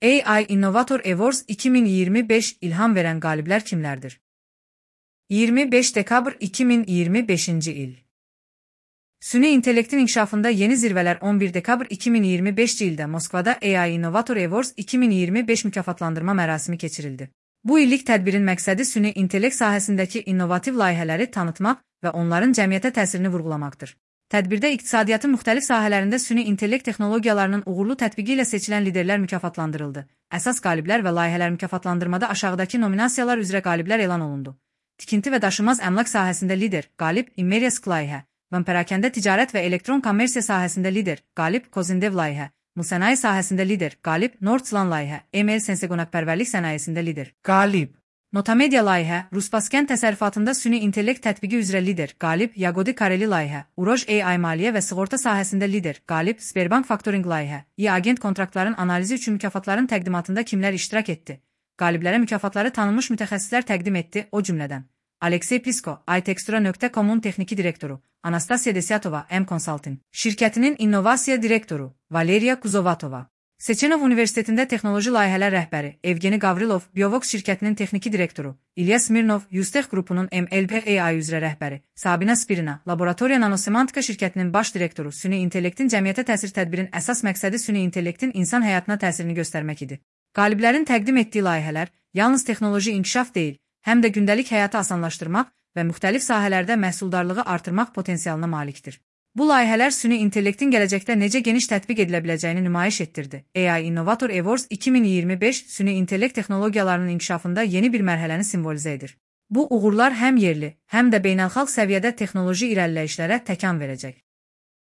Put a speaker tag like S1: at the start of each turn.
S1: AI Innovator Awards 2025 ilham veren galibler kimlerdir? 25 dekabr 2025. il. Süni intellektin inkişafında yeni zirveler 11 dekabr 2025 ildə Moskvada AI Innovator Awards 2025 mükafatlandırma mərasimi keçirildi. Bu illik tədbirin məqsədi süni intellekt sahəsindəki innovativ layihələri tanıtmaq və onların cəmiyyətə təsirini vurğulamaqdır. Tədbirdə iqtisadiyyatın müxtəlif sahələrində süni intellekt texnologiyalarının uğurlu tətbiqi ilə seçilən liderlər mükafatlandırıldı. Əsas qaliblər və layihələr mükafatlandırmada aşağıdakı nominasiyalar üzrə qaliblər elan olundu. Tikinti və daşınmaz əmlak sahəsində lider, qalib Immeriesk layihə, perakəndə ticarət və elektron kommersiya sahəsində lider, qalib Kozindev layihə, sənaye sahəsində lider, qalib Nordslan layihə, ML Senseqonaqpərvərlik sənayesində lider, qalib Notamedia layihə, Ruspaskən təsərrüfatında süni intellekt tətbiqi üzrə lider, qalib Yagodi Kareli layihə, Uroj AI maliyyə və sığorta sahəsində lider, qalib Sberbank Faktoring layihə, agent kontraktların analizi üçün mükafatların təqdimatında kimlər iştirak etdi? Qaliblərə mükafatları tanınmış mütəxəssislər təqdim etdi, o cümlədən Aleksey Plisko, iTextura.com-un texniki direktoru, Anastasiya Desyatova, M-Consulting, şirkətinin innovasiya direktoru, Valeriya Kuzovatova, Seçenov Universitetində texnoloji layihələr rəhbəri, Evgeni Gavrilov, Biovox şirkətinin texniki direktoru, İlya Smirnov, Yustech qrupunun MLP-AI üzrə rəhbəri, Sabina Spirina, Laboratoriya Nanosemantika şirkətinin baş direktoru, süni intellektin cəmiyyətə təsir tədbirin əsas məqsədi süni intellektin insan həyatına təsirini göstərmək idi. Qaliblərin təqdim etdiyi layihələr yalnız texnoloji inkişaf deyil, həm də gündəlik həyatı asanlaşdırmaq və müxtəlif sahələrdə məhsuldarlığı artırmaq potensialına malikdir. Bu layihələr süni intellektin gələcəkdə necə geniş tətbiq edilə biləcəyini nümayiş etdirdi. AI Innovator Awards 2025 süni intellekt texnologiyalarının inkişafında yeni bir mərhələni simvolizə edir. Bu uğurlar həm yerli, həm də beynəlxalq səviyyədə texnoloji irəliləyişlərə təkan verəcək.